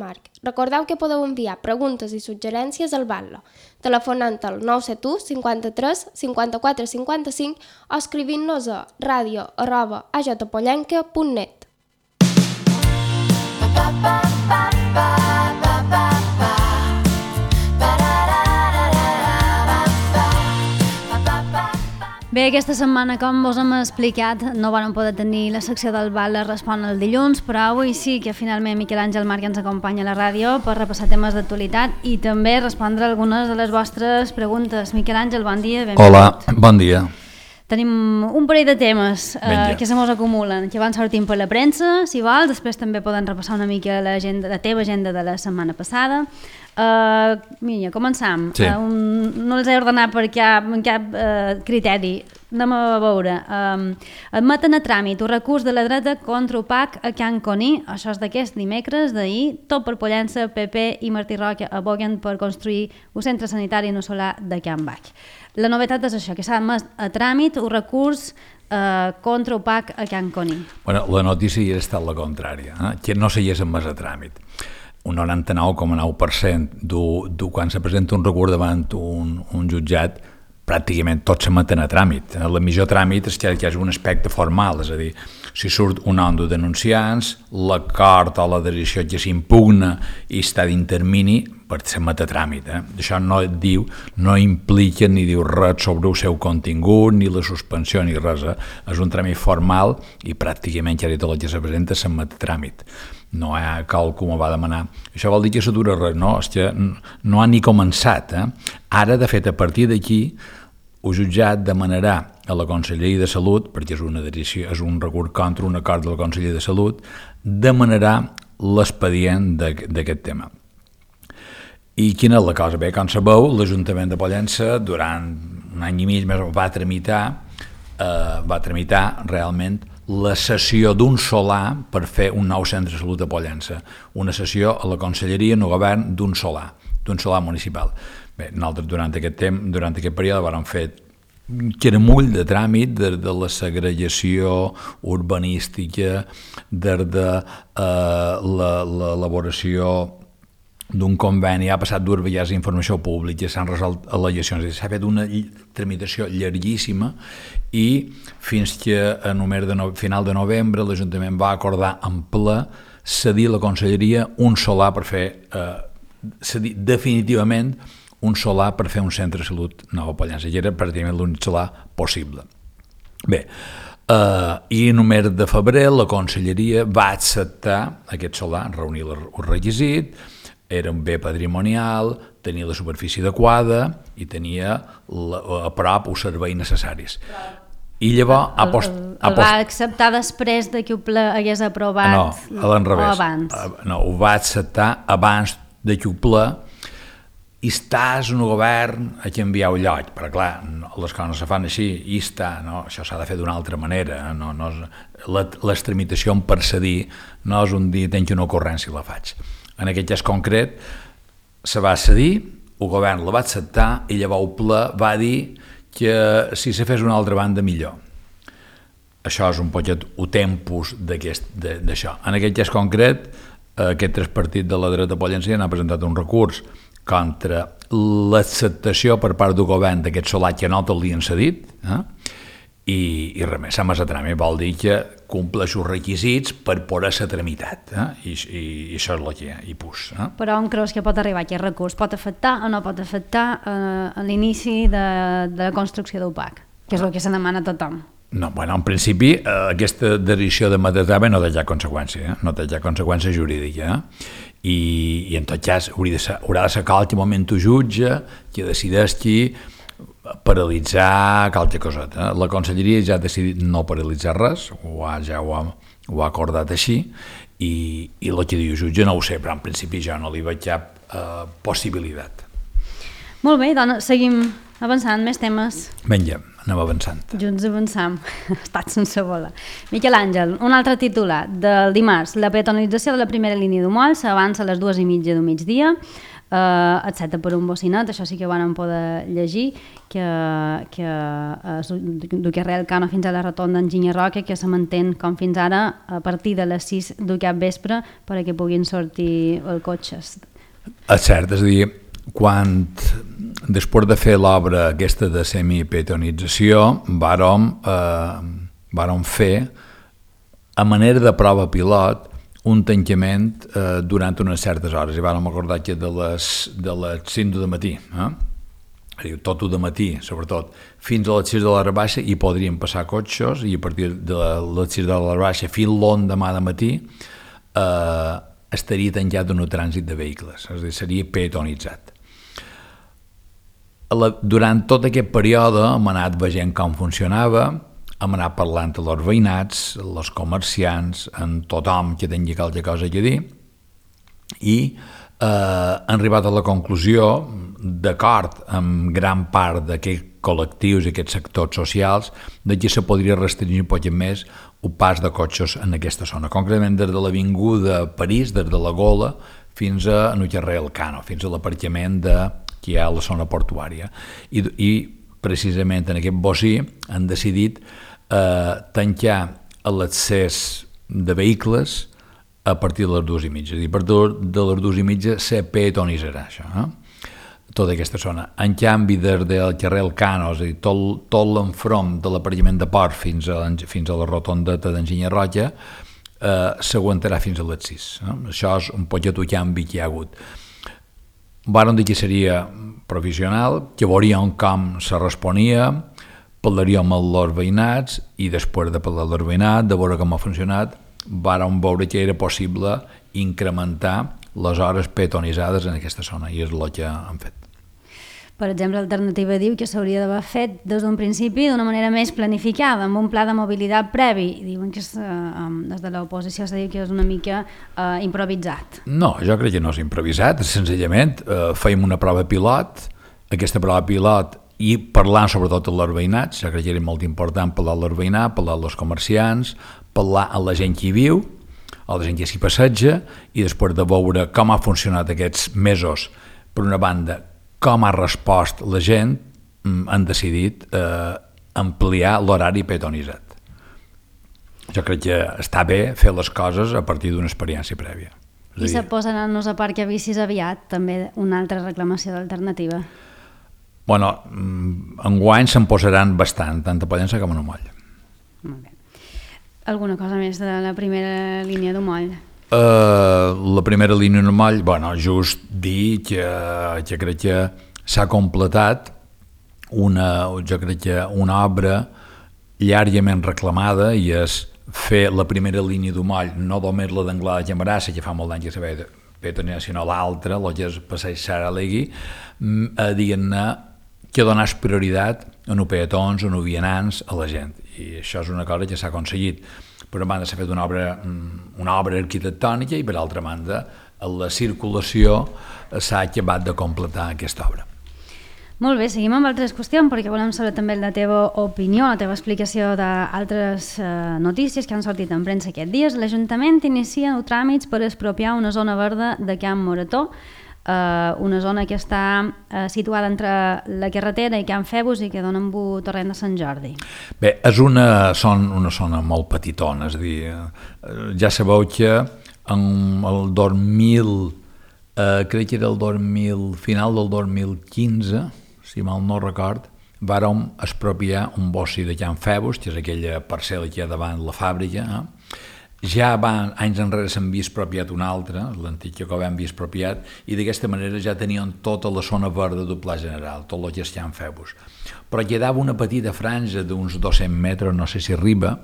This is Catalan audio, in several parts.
Marc. Recordeu que podeu enviar preguntes i suggerències al Batlle, telefonant al 971 53 54 55 o escrivint-nos a radio@ajpollenca.net. Bé, aquesta setmana, com vos hem explicat, no vam poder tenir la secció del Batlle Respon el dilluns, però avui sí que finalment Miquel Àngel Marc ens acompanya a la ràdio per repassar temes d'actualitat i també respondre algunes de les vostres preguntes. Miquel Àngel, bon dia, benvingut. Hola, bon dia. Tenim un parell de temes que se mos acumulen, que van sortint per la premsa, si vols, després també podem repassar una mica la teva agenda de la setmana passada. Mira, començam. Sí. No els he ordenat per cap criteri. Anem a veure. Admeten a tràmit un recurs de la dreta contra UPAC a Can Coní. Això és d'aquest dimecres, d'ahir. Tot per Pollença, PP i Martí Roca aboguen per construir un centre sanitari no solar de Can Baix. La novetat és això, que s'ha admès a tràmit un recurs contra UPAC a Can Coní. Bueno, la notícia ja ha estat la contrària, que no s'hagués admès a tràmit. Un 99,9% quan se presenta un recurs davant un jutjat, pràcticament tot s'admeten a tràmit. El millor tràmit és que hi hagi un aspecte formal, és a dir, si surt un nom de denunciants, l'acord o la decisió que s'impugna i està d'intermini, per s'admet a tràmit. Això no implica ni diu res sobre el seu contingut, ni la suspensió, ni res. És un tràmit formal i pràcticament ja tot el que se presenta s'admet a tràmit. No hi ha qualcú va demanar. Això vol dir que s'atura res, no? És que no ha ni començat. Ara, de fet, a partir d'aquí, el jutjat demanarà a la Conselleria de Salut, perquè és un recurs contra un acord de la Conselleria de Salut, demanarà l'expedient d'aquest tema. I quina és la cosa? Bé, com sabeu, l'Ajuntament de Pollença durant un any i mig més va tramitar realment la cessió d'un solar per fer un nou centre de salut a Pollença. Una cessió a la Conselleria, en el govern, d'un solar municipal. Bé, nosaltres durant aquest període vam fer queramull de tràmit de la segregació urbanística, de l'elaboració d'un conveni, ha passat dues vegades informació pública, s'han resolt al·legacions, s'ha fet una tramitació llarguíssima i fins que a final de novembre l'Ajuntament va acordar en ple cedir a la Conselleria un solar per fer, cedir definitivament un solar per fer un centre de salut nou a Pollença, que era pràcticament l'únic solar possible. Bé, i en el mes de febrer la Conselleria va acceptar aquest solar, reunir el requisit, era un bé patrimonial, tenia la superfície adequada i tenia a prop els serveis necessaris. I llavors el va acceptar després de que ho hagués aprovat o abans? No, ho va acceptar abans de que ho ple i estàs en el govern a canviar el lloc, però clar, les coses no se fan així, i està, no? Això s'ha de fer d'una altra manera, les tramitacions per cedir no és un dia tenc una ocurrència i la faig. En aquest cas concret se va cedir, el govern la va acceptar i llavors el ple va dir que si se fes una altra banda millor. Això és un poquet el tempus d'això. En aquest cas concret, aquest tres partits de la dreta pollença han presentat un recurs contra l'acceptació per part del govern d'aquest solar que no te'l han cedit, i res més, s'ha massa tràmit, vol dir que compleix els requisits per poder ser tramitat, i això és el que hi ha, i pus. Però on creus que pot arribar aquest recurs? Pot afectar o no pot afectar l'inici de la construcció d'UPAC, que és el que se demana a tothom? No, bueno, en principi aquesta decisió de Matatava no té ja conseqüència, no té ja conseqüència jurídica, i en tot cas haurà de ser qualque moment el jutge que decideix qui paralitzar qualque coseta. La Conselleria ja ha decidit no paralitzar res, ja ho ha acordat així, i el que diu el jutge no ho sé, però en principi jo no li veig cap possibilitat. Molt bé, doncs seguim avançant, més temes. Vinga, anem avançant. Junts avançam, estat sense voler. Miquel Àngel, un altre titular del dimarts. La peatonalització de la primera línia d'Humoll s'avança a les 2:30 del migdia. excepte per un bocinet, això sí que van poder llegir, que du Carrer Elcano fins a la rotonda Enginyer Roca, que se mantén com fins ara a partir de les 6 d'aquest vespre perquè puguin sortir els cotxes. És cert, és a dir, quan després de fer l'obra aquesta de semipetonització vàrem fer a manera de prova pilot un tancament durant unes certes hores i vàrem acordar que de les 5 de matí, tot de matí sobretot, fins a les 6 de l'hora baixa hi podrien passar cotxes i a partir de les 6 de l'hora baixa fins l'endemà de matí estaria tancat un trànsit de vehicles, és a dir, seria peatonitzat. Durant tot aquest període hem anat veient com funcionava, hem anat parlant amb els veïnats, els comerciants, amb tothom que tingui qualque cosa a dir i hem arribat a la conclusió, d'acord amb gran part d'aquests col·lectius i aquests sectors socials, de que se podria restringir un poc més el pas de cotxes en aquesta zona, concretament des de l'avinguda París, des de la Gola, fins a Carrer Elcano, fins a l'aparcament que hi ha a la zona portuària. I precisament en aquest bocí han decidit tancar l'accés de vehicles a partir de les 2:30. És a dir, a partir de les 2:30 se peatonitzarà això, tota aquesta zona. En canvi, des del carrer Elcano, és a dir, tot l'enfront de l'aparcament de Port fins a la rotondeta d'Enginyer Roca, s'aguantarà fins a les 6. Això és un poquet el canvi que hi ha hagut. Vàrem dir que seria provisional, que veuríem com se responia, parlaríem amb els veïnats i després de parlar amb els veïnats, de veure com ha funcionat, vàrem veure que era possible incrementar les hores peatonitzades en aquesta zona i és el que han fet. Per exemple, l'Alternativa diu que s'hauria d'haver fet des d'un principi d'una manera més planificada, amb un pla de mobilitat previ. Diuen que des de l'oposició s'ha dit que és una mica improvisat. No, jo crec que no és improvisat, senzillament fèiem una prova pilot, aquesta prova pilot i parlant sobretot amb els veïnats, jo crec que era molt important parlar amb els veïnats, parlar amb els comerciants, parlar amb la gent que hi viu, a la gent que s'hi passeja, i després de veure com ha funcionat aquests mesos, per una banda, com ha respost la gent, han decidit ampliar l'horari peatonitzat. Jo crec que està bé fer les coses a partir d'una experiència prèvia. I se posaran-nos a parc a bicis aviat, també una altra reclamació d'Alternativa. Bueno, enguany se'n posaran bastant, tant a Pollença com a Moll. Molt bé. Alguna cosa més de la primera línia d'Omoll? La primera línia normal, bueno, just dir que crec que s'ha completat una obra llargament reclamada i és fer la primera línia d'Omoll, no només la d'Anglada de Camarassa, que fa molt d'any que s'ha peatonat, sinó l'altra, el que és passeig Sara Alegui, diguem-ne que donés prioritat a no peatons, a no vianants, a la gent. I això és una cosa que s'ha aconseguit. Per una banda s'ha fet una obra arquitectònica i per altra banda la circulació s'ha acabat de completar aquesta obra. Molt bé, seguim amb altres qüestions perquè volem saber també la teva opinió, la teva explicació d'altres notícies que han sortit en premsa aquests dies. L'Ajuntament inicia els tràmits per expropiar una zona verda de Can Morató, una zona que està situada entre la carretera i Can Febus i que dona amb el torrent de Sant Jordi. Bé, és una zona molt petitona, és a dir, ja sabeu que en el 2000, crec que era el final del 2015, si mal no record, vàrem expropiar un bocí de Can Febus, que és aquella parcel·la que hi ha davant la fàbrica. Ja anys enrere s'havia expropiat una altra, l'antic que ho havia expropiat, i d'aquesta manera ja tenien tota la zona verda del Pla General, tot el que és Can Febus. Però quedava una petita franja d'uns 200 metres, no sé si arriba,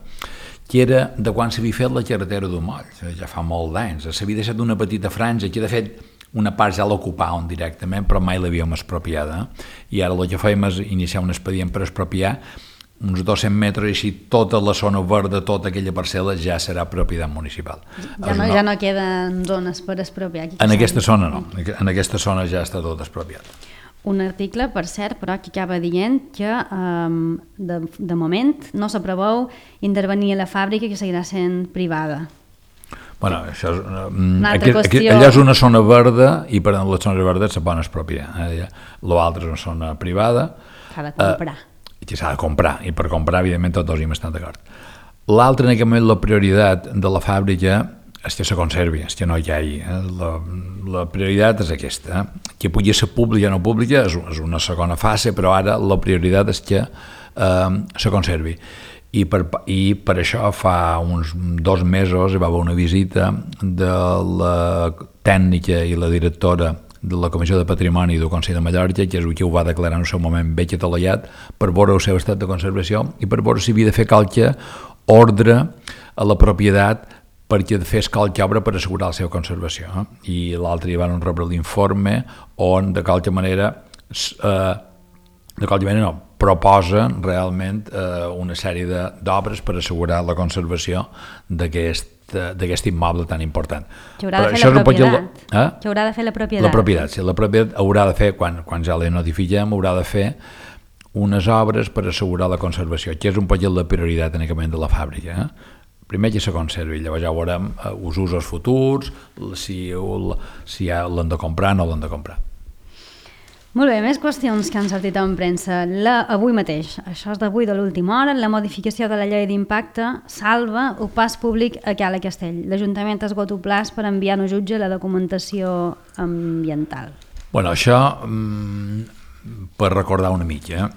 que era de quan s'havia fet la carretera d'Omoll, ja fa molt d'anys. S'havia deixat una petita franja, que de fet una part ja l'ocupàvem directament, però mai l'havíem expropiada. I ara el que fèiem és iniciar un expedient per expropiar uns 200 metres i així tota la zona verda, tota aquella parcel·la ja serà propietat municipal. Ja no queden zones per expropiar. En aquesta zona no, en aquesta zona ja està tot expropiat. Un article, per cert, però que acaba dient que de moment no s'apreveu intervenir a la fàbrica, que seguirà sent privada. Bueno, això és, Una altra qüestió. allò és una zona verda i per les zones verdes se poden expropiar. L'altre és una zona privada. S'ha de comprar. Que s'ha de comprar, i per comprar, evidentment, tots dos hi estan d'acord. L'altre, en aquest moment, la prioritat de la fàbrica és que se conservi, és que no hi hagi. La prioritat és aquesta. Que pugui ser pública o no pública és una segona fase, però ara la prioritat és que se conservi. I per això fa uns 2 mesos hi va haver una visita de la tècnica i la directora de la Comissió de Patrimoni del Consell de Mallorca, que és qui ho va declarar en el seu moment bé catalallat, per veure el seu estat de conservació i per veure si havia de fer qualque ordre a la propietat perquè fes qualque obra per assegurar la seva conservació. I l'altre hi van rebre l'informe on de qualque manera proposa realment una sèrie d'obres per assegurar la conservació d'aquest immoble tan important. Que haurà de fer la propietat. Que haurà de fer la propietat. La propietat, sí. La propietat haurà de fer, quan ja la notifiquem, haurà de fer unes obres per assegurar la conservació, que és un poquet la prioritat en aquest moment de la fàbrica. Primer que se conservi, llavors ja veurem els usos futurs, si l'han de comprar o no l'han de comprar. Molt bé, més qüestions que han sortit en premsa. Avui mateix, això és d'avui de l'última hora, la modificació de la llei d'impacte salva el pas públic a Cala Castell. L'Ajuntament ha esgotat el plaç per enviar al jutge la documentació ambiental. Bueno, això, per recordar una mica,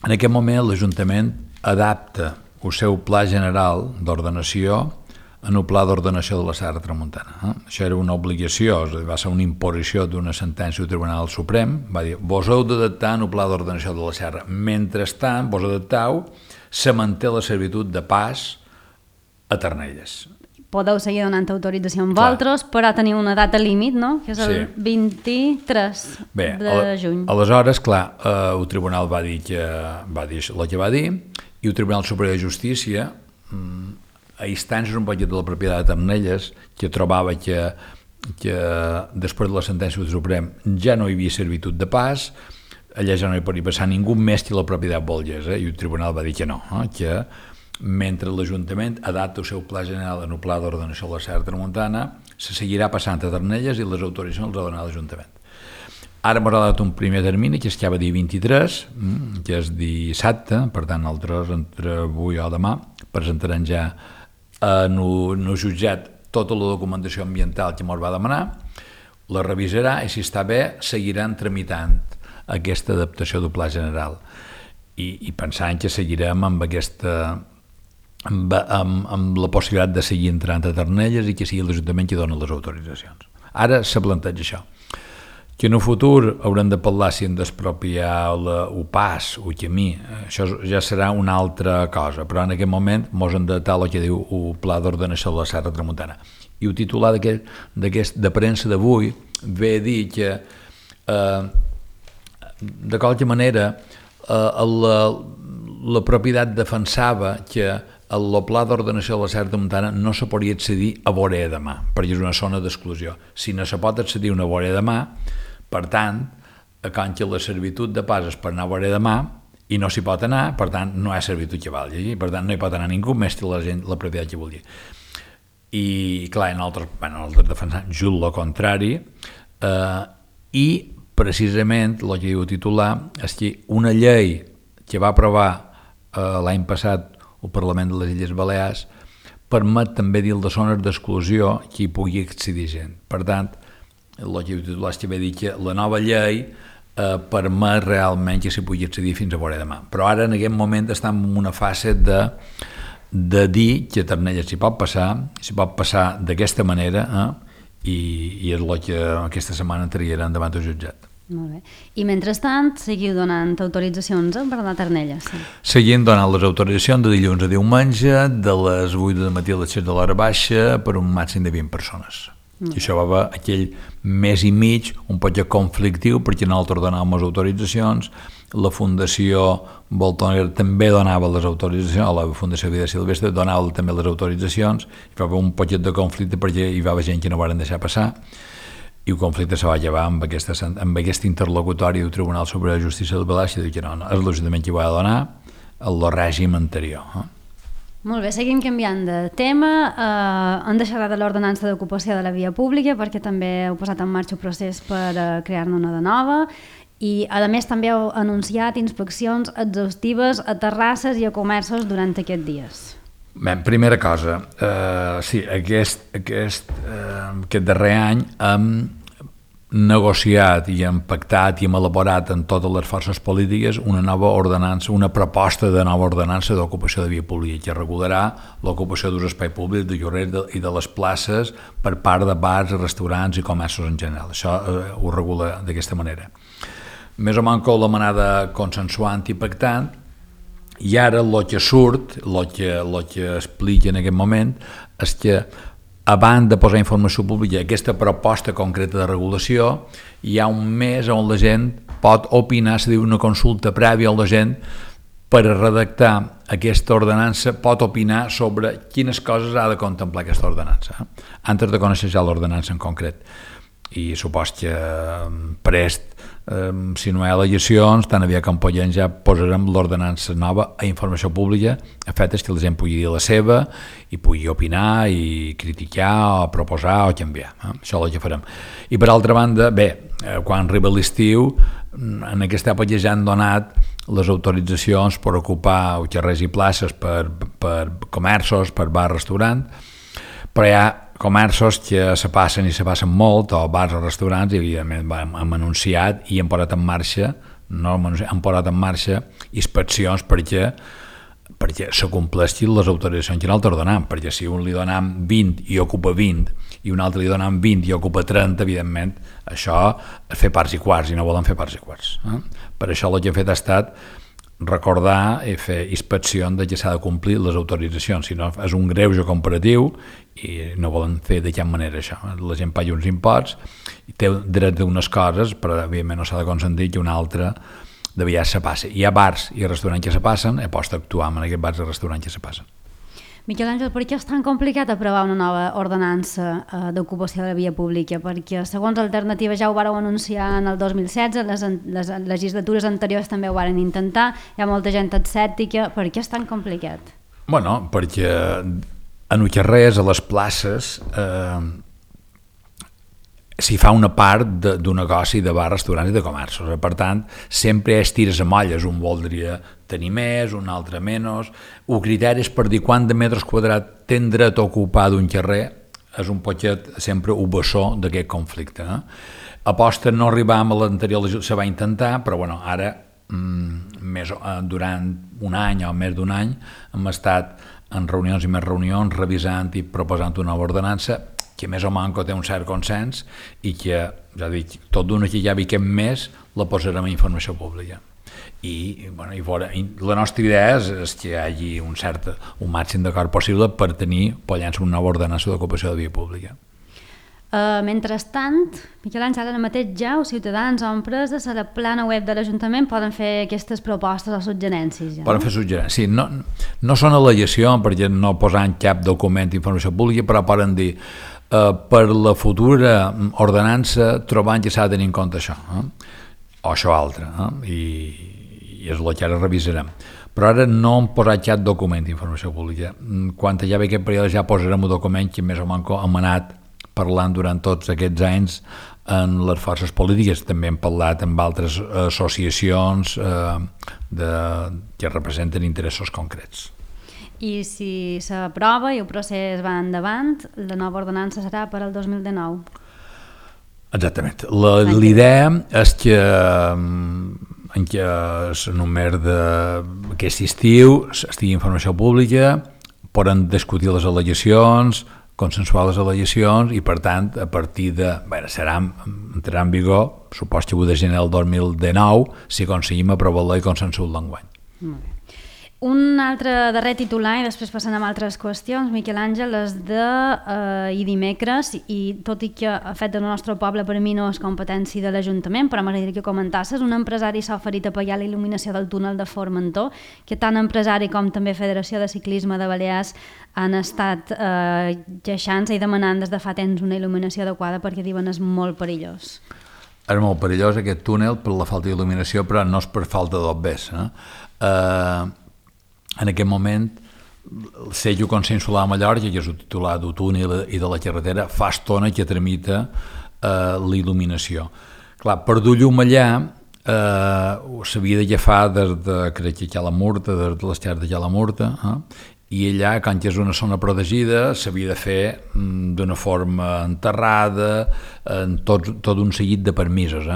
en aquest moment l'Ajuntament adapta el seu pla general d'ordenació en el pla d'ordenació de la Serra Tramuntana. Això era una obligació, va ser una imposició d'una sentència del Tribunal Suprem, va dir, vos heu d'adaptar en el pla d'ordenació de la Serra. Mentrestant, vos adapteu, se manté la servitud de pas a Ternelles. Podeu seguir donant autorització amb vosaltres, però teniu una data límit, no? Que és el 23 de juny. Aleshores, clar, el Tribunal va dir el que va dir, i el Tribunal Superior de Justícia, a instàncies un poquet de la propietat de Ternelles, que trobava que després de la sentència del Suprem ja no hi havia servitud de pas, allà ja no hi podia passar ningú més que la propietat volgués, i el Tribunal va dir que no, que mentre l'Ajuntament adapta el seu pla general en el pla d'ordenació de la Serra Tramuntana, se seguirà passant a Ternelles i les autoritzacions les ha donat l'Ajuntament. Ara m'ha donat un primer termini, que es queda dia 23, que és dissabte, per tant, nosaltres entre avui o demà presentarem ja en el jutjat tota la documentació ambiental que ens va demanar, la revisarà i si està bé seguiran tramitant aquesta adaptació del pla general i pensant que seguirem amb la possibilitat de seguir entrant a Ternelles i que sigui l'Ajuntament qui dona les autoritzacions. Ara se planteja això, que en el futur haurem de parlar si hem d'expropiar el pas, el camí, això ja serà una altra cosa, però en aquest moment ens hem d'adaptar el que diu el Pla d'Ordenació de la Serra Tramuntana. I el titular de premsa d'avui ve a dir que de qualque manera la propietat defensava que el Pla d'Ordenació de la Serra Tramuntana no se podria accedir a Boré de Mar, perquè és una zona d'exclusió. Si no se pot accedir a una Boré de Mar, per tant, quan que la servitud de pas és per anar a Boré de Mar i no s'hi pot anar, per tant, no hi ha servitud que valgui, per tant, no hi pot anar ningú més que la propietat que vulgui. I, clar, nosaltres defensem just el contrari, i precisament el que diu el titular és que una llei que va aprovar l'any passat el Parlament de les Illes Balears permet també dir de zones d'exclusió que hi pugui accedir gent. Per tant, el que diu el titular és que ve dir que la nova llei permet realment que s'hi pugui accedir fins a Boré de Mar. Però ara en aquest moment estem en una fase de dir que a Ternelles s'hi pot passar d'aquesta manera, i és el que aquesta setmana entraríem davant del jutjat. Molt bé. I mentrestant seguiu donant autoritzacions per anar a Ternelles? Seguim donant les autoritzacions de dilluns a diumenge, de les 8 del matí a les 7 de l'hora baixa, per un màxim de 20 persones. I això va haver aquell mes i mig un poc conflictiu perquè nosaltres donàvem les autoritzacions, la Fundació Boltoner també donava les autoritzacions, la Fundació Vida Silvestre donava també les autoritzacions, i va haver un poc de conflicte perquè hi va haver gent que no van deixar passar, i el conflicte se va llevar amb aquest interlocutori del Tribunal Superior de Justícia del Balears, i diu que no, és l'Ajuntament qui ho ha de donar el règim anterior. Molt bé, seguim canviant de tema. Hem deixat de l'ordenança d'ocupació de la via pública perquè també heu posat en marxa un procés per crear-ne una de nova i a més també heu anunciat inspeccions exhaustives a terrasses i a comerços durant aquests dies. Bé, primera cosa, sí, aquest darrer any hem negociat i hem pactat i hem elaborat en totes les forces polítiques una nova ordenança, una proposta de nova ordenança d'ocupació de via pública que regularà l'ocupació d'un espai públic, de lloguers i de les places per part de bars, restaurants i comerços en general. Això ho regula d'aquesta manera. Més o menys la manada consensuant i pactant, i ara el que surt, el que explica en aquest moment és que abans de posar informació pública aquesta proposta concreta de regulació, hi ha un mes on la gent pot opinar, se diu una consulta prèvia on la gent per redactar aquesta ordenança pot opinar sobre quines coses ha de contemplar aquesta ordenança, antes de conèixer ja l'ordenança en concret. I supos que prest, si no hi ha al·legacions, tan aviat com podem ja posarem l'ordenança nova a informació pública, a fet que la gent pugui dir la seva i pugui opinar i criticar o proposar o canviar. Això és el que farem. I per altra banda, bé, quan arriba l'estiu, en aquesta època ja han donat les autoritzacions per ocupar carrers i places per comerços, per bar, restaurant, però hi ha comerços que se passen molt, o bars o restaurants, i evidentment hem anunciat i hem posat en marxa, inspeccions perquè s'acompleixin les autoritzacions que nosaltres donem, perquè si un li donem 20 i ocupa 20 i un altre li donem 20 i ocupa 30, evidentment això és fer parts i quarts i no volem fer parts i quarts. Per això el que he fet ha estat recordar i fer inspecció de que s'ha de complir les autoritzacions, si no és un greuge comparatiu i no volen fer de cap manera això. La gent paga uns imposts i té dret d'unes coses, però evidentment no s'ha de consentir que una altra de vegades se passi. Hi ha bars i restaurants que se passen, he post actuar en aquests bars i restaurants que se passen. Miquel Àngel, per què és tan complicat aprovar una nova ordenança d'ocupació de la via pública? Perquè, segons Alternativa, ja ho vàreu anunciar en el 2016, les legislatures anteriors també ho varen intentar, hi ha molta gent escèptica. Per què és tan complicat? Bueno, perquè en els carrers, a les places, s'hi fa una part d'un negoci de bars, restaurants i de comerços. Per tant, sempre és tires a molles. Un voldria tenir més, un altre menys. El criteri és per dir quant de metres quadrats ten dret a ocupar d'un carrer és un poquet sempre un bessó d'aquest conflicte. Aposta no arribàvem a l'anterior legislatura, se va intentar, però bueno, ara durant un any o més d'un any hem estat en reunions i més reunions revisant i proposant una nova ordenança que més o menys té un cert consens i que, ja dic, tot d'una que ja viquem més la posarem a informació pública. I la nostra idea és que hi hagi un màxim d'acord possible per tenir, llançar una nova ordenança d'ocupació de via pública. Mentrestant, Miquel Àngel, ara mateix ja els ciutadans o empreses a la plana web de l'Ajuntament poden fer aquestes propostes o suggerències. Ja, poden fer suggerències, sí. No són al·legacions perquè no posen cap document d'informació pública, però poden dir per la futura ordenança trobant que s'ha de tenir en compte això, o això altre, i és el que ara revisarem. Però ara no hem posat cap document d'informació pública. Quan ja ve aquest període ja posarem un document que més o menys hem anat parlant durant tots aquests anys en les forces polítiques. També hem parlat amb altres associacions que representen interessos concrets. I si s'aprova i el procés va endavant, la nova ordenança serà per al 2019? Exactament. L'idea és que en què només d'aquest estiu estigui informació pública, poden discutir les al·legacions, consensuar les al·legacions i, per tant, a partir de... entrarà en vigor, supos que 1 de gener del 2019, si aconseguim aprovar-la i consensuar l'enguany. Molt bé. Un altre darrer titular, i després passant a altres qüestions, Miquel Àngel, és de dimecres, i tot i que el fet del nostre poble per mi no és competència de l'Ajuntament, però m'agradaria que comentasses, un empresari s'ha oferit a pagar la il·luminació del túnel de Formentor, que tant empresari com també Federació de Ciclisme de Balears han estat queixant-se i demanant des de fa temps una il·luminació adequada perquè diuen és molt perillós. És molt perillós aquest túnel per la falta d'il·luminació, però no és per falta d'obres. En aquest moment el sello consensual a Mallorca, que és el titular del túnel i de la carretera, fa estona que tramita la il·luminació. Clar, per dur llum allà s'havia d'agafar des de, crec que a la Murta, des de les terres de la Murta, i allà, com que és una zona protegida, s'havia de fer d'una forma enterrada, tot un seguit de permisos.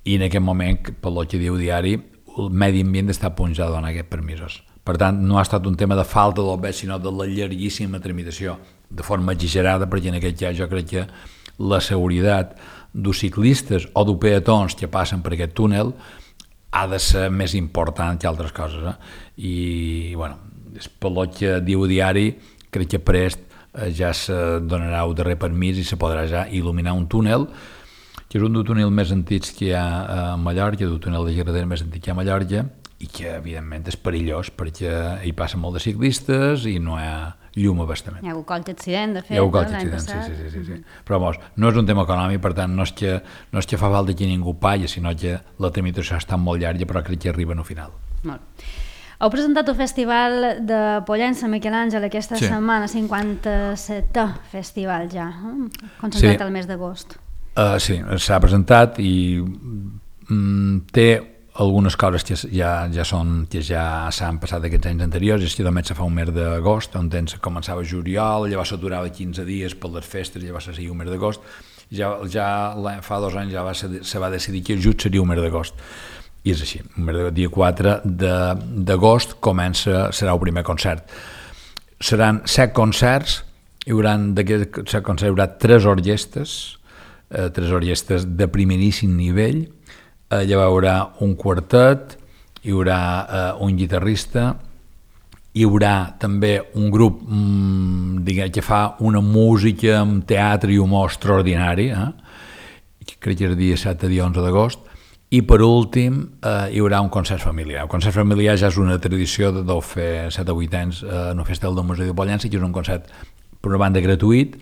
I en aquest moment, pel que diu diari, el medi ambient està punjat a donar aquests permisos. Per tant, no ha estat un tema de falta del bé, sinó de la llarguíssima tramitació, de forma exagerada, perquè en aquest cas jo crec que la seguretat dels ciclistes o dels peatons que passen per aquest túnel ha de ser més important que altres coses. I, bueno, pel que diu diari, crec que prest ja se donarà el darrer permís i se podrà ja il·luminar un túnel, que és un dels túnels més antics que hi ha a Mallorca, un túnel de carretera més antic que hi ha a Mallorca, i que, evidentment, és perillós perquè hi passen molt de ciclistes i no hi ha llum abastament. Hi ha hagut qualque accident, de fet, hi ha hagut qualque accident, sí. Però, no és un tema econòmic, per tant, no és que fa falta que ningú pagui, sinó que la tramitació està molt llarga, però crec que arriba al final. Molt. Heu presentat el Festival de Pollença, Miquel Àngel, aquesta setmana, 57è festival ja, concentrat al mes d'agost. Sí, s'ha presentat i té algunes coses que ja s'han passat aquests anys anteriors, és que només se fa un mes d'agost, on començava juliol, llavors s'aturava 15 dies per les festes, llavors se seguia un mes d'agost, ja fa 2 anys se va decidir que just seria un mes d'agost, i és així, el dia 4 d'agost serà el primer concert. Seran 7 concerts, d'aquests 7 concerts hi haurà 3 orquestes de primeríssim nivell. Hi haurà un quartet, hi haurà un guitarrista, hi haurà també un grup que fa una música amb teatre i humor extraordinari, crec que és el dia 7 o dia 11 d'agost, i per últim hi haurà un concert familiar. El concert familiar ja és una tradició de fer 7 o 8 anys en el Festival del Museu de Pollença, que és un concert per una banda gratuït,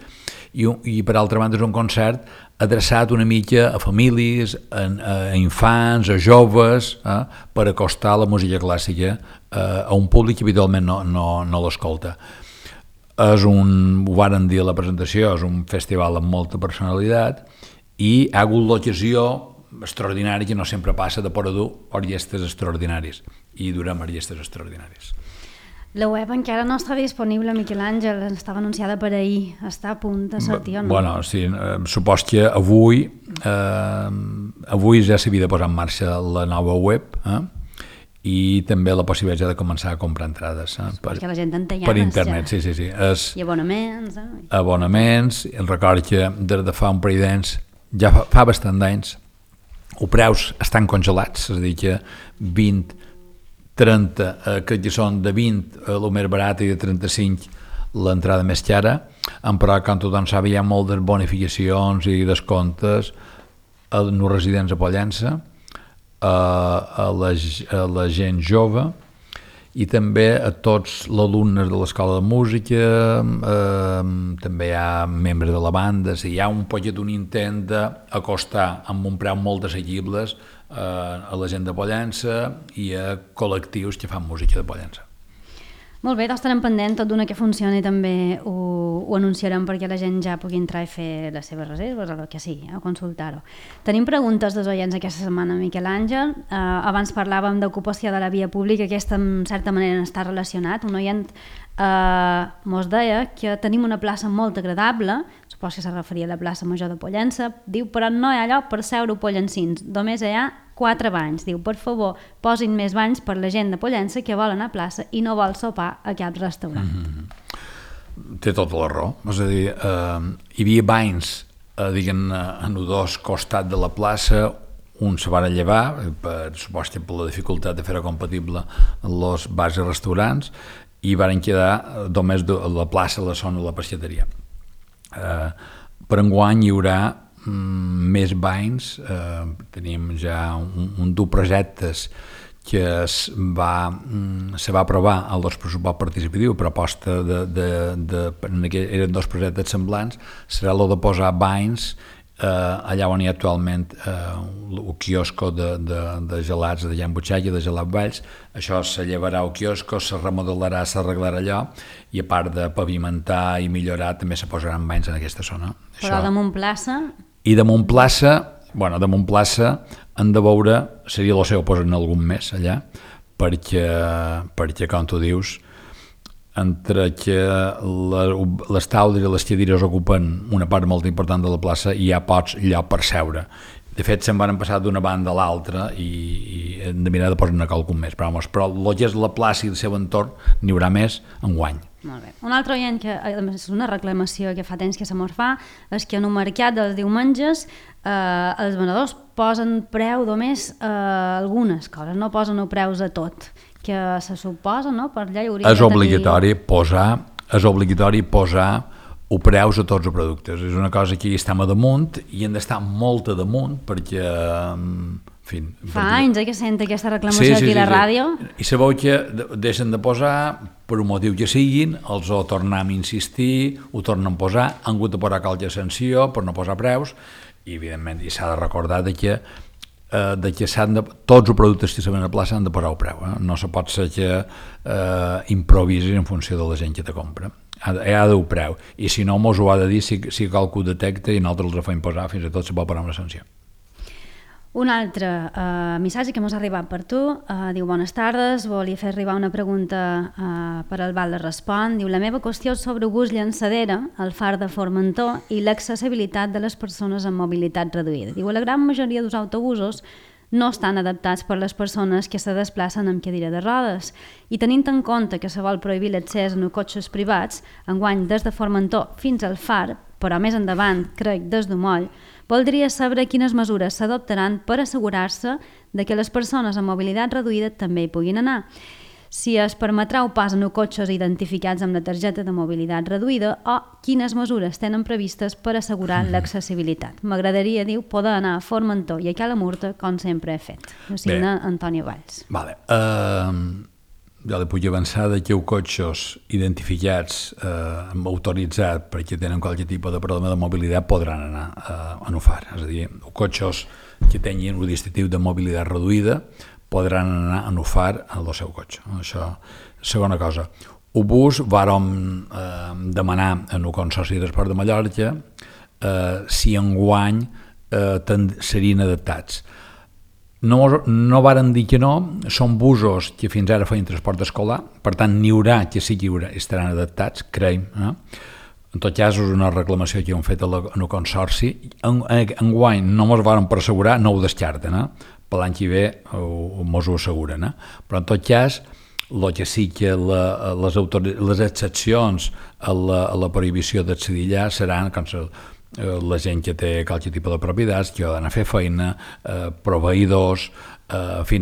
i per altra banda és un concert adreçat una mica a famílies, a infants, a joves, per acostar la música clàssica a un públic que habitualment no l'escolta. Ho varen dir a la presentació, és un festival amb molta personalitat i ha hagut l'ocasió extraordinària que no sempre passa de poder dur orquestres extraordinaris i durem orquestres extraordinaris. La web encara no està disponible, Miquel Àngel, estava anunciada per ahir, està a punt de sortir o no? Bueno, sí, supos que avui ja s'havia de posar en marxa la nova web i també la possibilitat de començar a comprar entrades perquè la gent en té per internet, ja. Sí. I abonaments. Abonaments, record que des de fa un parell d'anys, ja fa bastant d'anys, els preus estan congelats, és a dir que 20, 30, que són de 20 el més barat i de 35 l'entrada més cara, però com tothom sap hi ha moltes bonificacions i descomptes als residents a Pollença, a la gent jove i també a tots els alumnes de l'Escola de Música, també hi ha membres de la banda, hi ha un poquet un intent d'acostar amb un preu molt assequibles a la gent de Pollença i a col·lectius que fan música de Pollença. Molt bé, doncs estarem pendents, tot d'una que funcioni també ho anunciarem perquè la gent ja pugui entrar i fer les seves reserves o el que sigui, a consultar-ho. Tenim preguntes dels oients aquesta setmana, Miquel Àngel. Abans parlàvem d'ocupació de la via pública, aquesta en certa manera està relacionat. Un oient mos deia que tenim una plaça molt agradable, supos que se referia a la plaça Major de Pollença, diu, però no hi ha lloc per seure pollencins, només hi ha 4 banys. Diu, per favor, posin més banys per la gent de Pollença que vol anar a plaça i no vol sopar a cap restaurant. Té tota la raó. És a dir, hi havia banys en els dos costats de la plaça, un se van llevar, supos que per la dificultat de fer-ho compatible amb els bars i restaurants, i van quedar només la plaça, la zona de la peixateria. Per enguany hi haurà més banys, tenim ja un dels projectes que se va aprovar al pressupost participatiu, proposta eren 2 projectes semblants, serà el de posar banys allà on hi ha actualment el quiosco de gelats de Jan Butxac i de Gelat Valls, això se llevarà el quiosco, se remodelarà, s'arreglarà allò, i a part de pavimentar i millorar també se posaran banys en aquesta zona. Però damunt plaça... I damunt plaça han de veure, seria el seu posar en algun mes allà, perquè com tu dius, entre que les taules i les cadires ocupen una part molt important de la plaça i hi ha pocs lloc per seure. De fet, se'n van passar d'una banda a l'altra i hem de mirar de posar-ne qualcun més. Però el que és la plaça i el seu entorn n'hi haurà més enguany. Molt bé. Un altre oient, que és una reclamació que fa temps que se mos fa, és que en un mercat dels diumenges els venedors posen preu només a algunes coses, no posen preus a tot, que se suposa, no? Per allà hi hauria és obligatori posar o preus a tots els productes. És una cosa que hi estem a damunt i hem d'estar molt a damunt perquè... Fa anys que sent aquesta reclamació aquí a la ràdio. I sabeu que deixen de posar per un motiu que siguin, els ho tornem a insistir, ho tornen a posar, han hagut de posar qualque sanció per no posar preus i evidentment s'ha de recordar que tots els productes que se ven a plaça han de posar el preu. No se pot ser que improvisis en funció de la gent que te compra. Hi ha d'haver preu. I si no, mos ho ha de dir si qualcú detecta i nosaltres els fem posar, fins i tot se pot posar una sanció. Un altre missatge que ens ha arribat per tu, diu: bones tardes, volia fer arribar una pregunta per al Val de Respon. Diu: la meva qüestió és sobre August Llançadera, el far de Formentor i l'accessibilitat de les persones amb mobilitat reduïda. Diu: la gran majoria dels autobusos no estan adaptats per les persones que se desplacen amb cadira de rodes. I tenint en compte que se vol prohibir l'accés en cotxes privats, enguany des de Formentor fins al far, però més endavant, crec, des d'Umoll, voldria saber quines mesures s'adoptaran per assegurar-se de que les persones amb mobilitat reduïda també hi puguin anar. Si es permetrà o pas en cotxes identificats amb la targeta de mobilitat reduïda o quines mesures tenen previstes per assegurar l'accessibilitat. M'agradaria, diu, poder anar a Formentor i a Cala Murta com sempre he fet. Ho signa Antonio Valls. Vale. Jo li puc avançar que els cotxes identificats, autoritzats perquè tenen qualsevol tipus de problema de mobilitat podran anar a UFAR. És a dir, els cotxes que tinguin un dispositiu de mobilitat reduïda podran anar a UFAR en el seu cotxe. Això, segona cosa. El bus vàrem demanar en el Consorci de Transport de Mallorca si enguany serien adaptats. No varen dir que no, són busos que fins ara feien transport escolar, per tant n'hi haurà que sí que estaran adaptats, creiem. En tot cas és una reclamació que hem fet en el Consorci. Enguany no ens varen per assegurar, no ho descarten, per l'any que ve ens ho asseguren. Però en tot cas, el que sí que les excepcions a la prohibició d'accedir allà seran la gent que té qualsevol tipus de propietats, que ha d'anar a fer feina, proveïdors, en fi,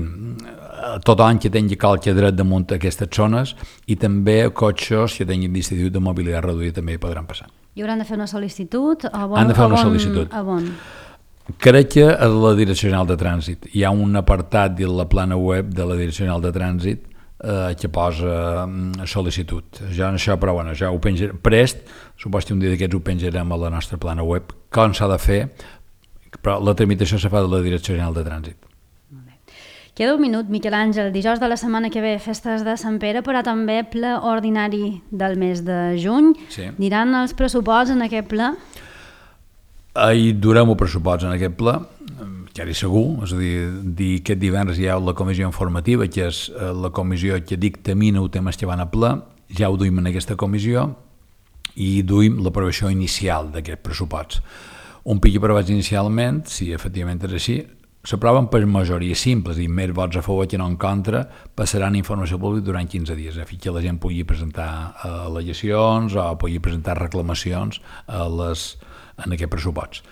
tothom que tingui qualsevol dret damunt aquestes zones, i també cotxes que tinguin dispositiu de mobilitat reduïda també hi podran passar. I hauran de fer una sol·licitud? Han de fer una sol·licitud. Crec que a la Direcció General de Trànsit hi ha un apartat de la plana web de la Direcció General de Trànsit que posa sol·licitud. Jo en això, però bueno, ja ho penjaré prest, suposo que un dia d'aquests ho penjarem a la nostra plana web, com s'ha de fer, però la tramitació se fa de la Direcció General de Trànsit. Queda un minut, Miquel Àngel. Dijous de la setmana que ve, festes de Sant Pere, però també ple ordinari del mes de juny. Sí. Aniran els pressuposts en aquest ple? Hi durem el pressupost en aquest ple, ja hi segur, és a dir, aquest divendres hi ha la comissió informativa, que és la comissió que dictamina els temes que van a ple, ja ho duim en aquesta comissió i duim l'aprovació inicial d'aquest pressupost. Un pic aprovat inicialment, si efectivament és així, s'aproven per majoria simple, és a dir, més vots a favor que no en contra, passaran informació pública durant 15 dies, a fi que la gent pugui presentar al·legacions o pugui presentar reclamacions en aquest pressupost.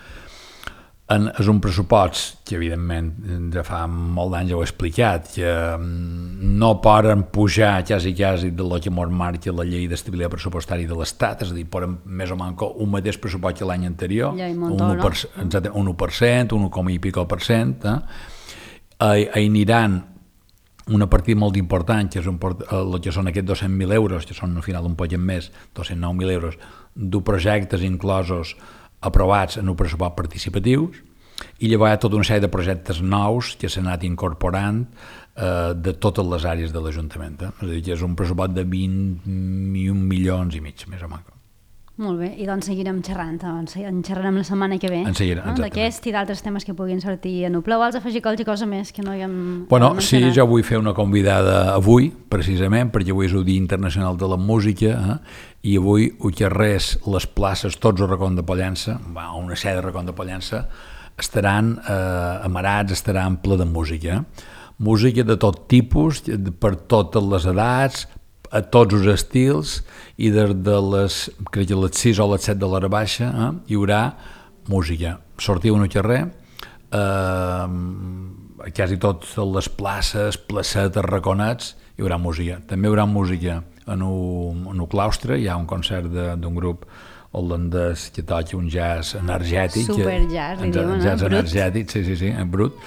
És un pressupost que, evidentment, ja fa molt d'anys ja ho he explicat, que no poden pujar quasi de lo que ens marca la llei d'estabilitat pressupostària de l'Estat, és a dir, poden més o menys un mateix pressupost que l'any anterior, un 1%, 1 i pico per cent. Hi aniran una partida molt important, que és el que són aquests 200.000 euros, que són al final un poc més, 209.000 euros, de projectes inclosos aprovats en un pressupost participatius, i llavors hi ha tota una sèrie de projectes nous que s'han anat incorporant de totes les àrees de l'Ajuntament. És a dir, que és un pressupost de 21 milions i mig, més o menys. Molt bé, i doncs seguirem xerrant, doncs en xerrarem la setmana que ve, d'aquest i d'altres temes que puguin sortir en Opla. Vols afegir qualsevol cosa més que no haguem mencionat? Sí, jo vull fer una convidada avui, precisament, perquè avui és el Dia Internacional de la Música, i avui Uixerrers, les places, tots els racons de Pollença, una sèrie de racons de Pollença, estaran amarats, estaran ple de música. Música de tot tipus, per totes les edats, a tots els estils, i des de les 6 o les 7 de l'hora baixa hi haurà música. Sortiu en el carrer, a quasi totes les places, placetes, raconets, hi haurà música. També hi haurà música en el claustre, hi ha un concert d'un grup holandès que toca un jazz energètic. Superjazz, li diuen, jazz energètic, sí, en brut.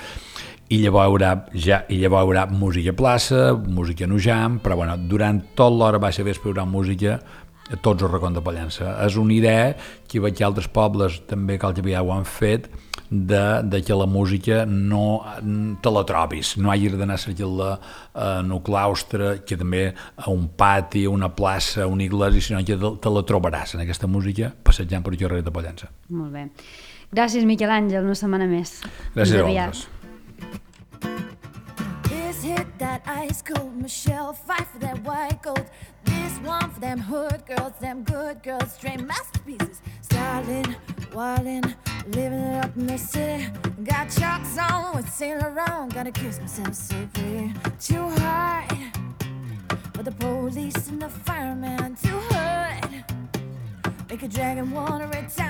I llavors hi haurà música a plaça, música en ujam, però bueno, durant tot l'hora baixa vespre hi haurà música a tots els racons de Pollença. És una idea que veig que altres pobles també que ho han fet, de que la música no te la trobis, no hagis d'anar a cercar-la en un claustre, que també a un pati, a una plaça, a una iglesia, sinó que te la trobaràs en aquesta música passejant per el carrer de Pollença. Molt bé. Gràcies, Miquel Àngel, una setmana més. Gràcies a vosaltres. That ice cold Michelle, fight for that white gold. This one for them hood girls, them good girls, straight masterpieces. Styling, wildin', living it up in the city. Got chalks on with Saint Laurent, gotta kiss myself so pretty. Too hard for the police and the fireman, too hood, make a dragon wanna retire.